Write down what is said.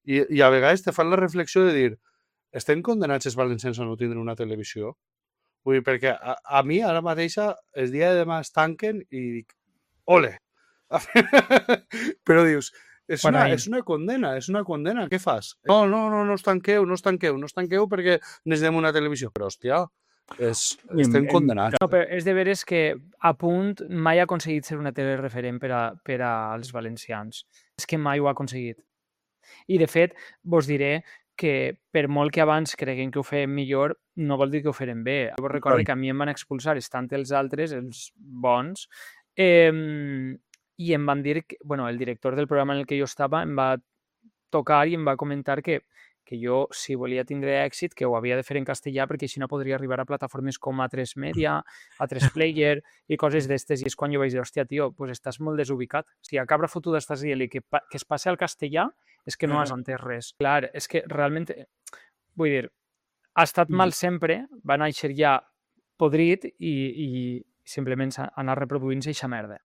I a vegades te fan la reflexió de dir estem condenats els valencians a no tindre una televisió? Vull dir, perquè a mi ara mateixa el dia de demà es tanquen i dic, ole! Però dius, és Bueno, una condena, és una condena, què fas? No, no, no, no us tanqueu, no us tanqueu, no us tanqueu perquè necessitem una televisió. Però, hòstia, estem condenats. no, però és de veres que a punt mai ha aconseguit ser una tele referent per als valencians. És que mai ho ha aconseguit. I, de fet, vos diré que per molt que abans creguin que ho feien millor, no vol dir que ho feren bé. Vos recordo que a mi em van expulsar tant els altres, els bons, i em van dir que, bueno, el director del programa en el que jo estava em va tocar i em va comentar que jo, si volia tindre èxit, que ho havia de fer en castellà perquè així no podria arribar a plataformes com A3 Media, A3 Player i coses d'estes. I és quan jo vaig dir, hòstia, tio, pues estàs molt desubicat. Si a cabra fotuda estàs dient que es passi al castellà, és que no has entès res. Clar, és que realment, vull dir, ha estat mal sempre, va néixer ja podrit i simplement s'ha anat reproduint-se eixa merda.